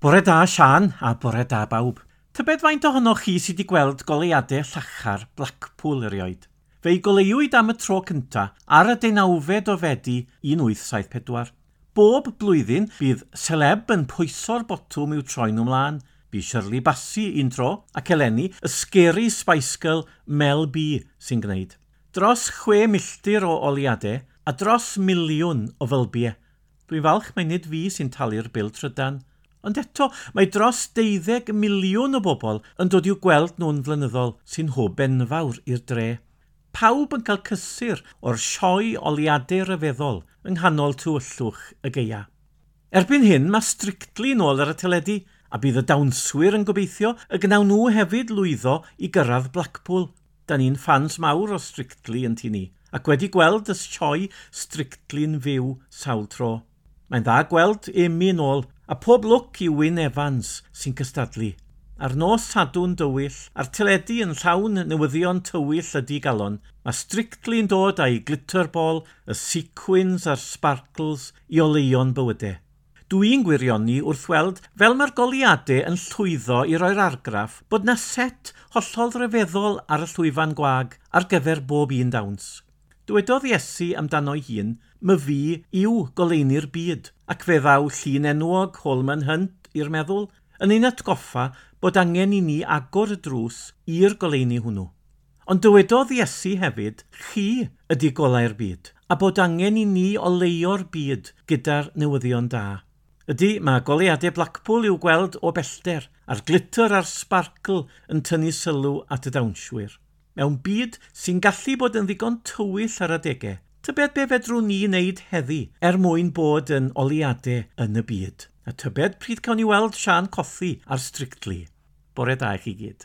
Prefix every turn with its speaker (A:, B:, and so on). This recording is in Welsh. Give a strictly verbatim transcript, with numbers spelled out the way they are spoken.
A: Bore da, Sian, a bore da bawb. Tybed faint ohonoch chi sydd wedi gweld goleuadau llachar Blackpool erioed? Fe'i goleuwyd am y tro cynta ar y deunawfed o Fedi un wyth saith pedwar. Bob blwyddyn bydd celeb yn pwyso'r botwm i'w troi nhw mlaen. Bu Shirley Bassey un tro, ac eleni y Scary Spice Girl Mel B sy'n gwneud. Dros chwe milltir o oleuadau a dros miliwn o fylbiau. Dwi'n falch mai nid fi sy'n talu'r bil trydan. Ond eto, mae dros deuddeg miliwn o bobl yn dod i'w gweld nhw'n flynyddol, sy'n hwb enfawr i'r dre. Pawb yn cael cysur o'r sioe oleuadau ryfeddol yng nghanol tywyllwch y gaea. Erbyn hyn, mae Strictly nôl ar y teledu, a bydd y dawnswyr yn gobeithio y gnawn nhw hefyd lwyddo i gyrraedd Blackpool. Da ni'n ffans mawr o Strictly yn tŷ ni, ac wedi gweld y sioe Strictly'n fyw sawl tro. Mae'n dda gweld Amy nôl, a pob lwc i Wyn Evans sy'n cystadlu. Ar nos Sadwrn dywyll, a'r teledu yn llawn newyddion tywyll a digalon, mae Strictly'n dod â'i glitter ball, y sequins a'r sparkles i oleuo'n bywydau. Dwi'n gwirioni wrth weld fel mae'r goleuadau yn llwyddo i roi'r argraff bod 'na set hollol ryfeddol ar y llwyfan gwag ar gyfer bob un dawns. Dywedodd Iesu amdano'i hun, "Myfi yw goleuni'r byd," ac fe ddaw llun enwog Holman Hunt i'r meddwl, yn ein atgoffa bod angen i ni agor y drws i'r goleuni hwnnw. Ond dywedodd Iesu hefyd, "Chi ydy golau'r byd," a bod angen i ni oleuo'r byd gyda'r newyddion da. Ydy, mae goleuadau Blackpool i'w gweld o bellter, a'r glitter a'r sparkle yn tynnu sylw at y dawnswyr. Mewn byd sy'n gallu bod yn ddigon tywyll ar adegau, tybed be fedrwn ni wneud heddi er mwyn bod yn oleuadau yn y byd? A tybed pryd cawn ni weld Sian Cothi ar Strictly? Bore da i chi gyd.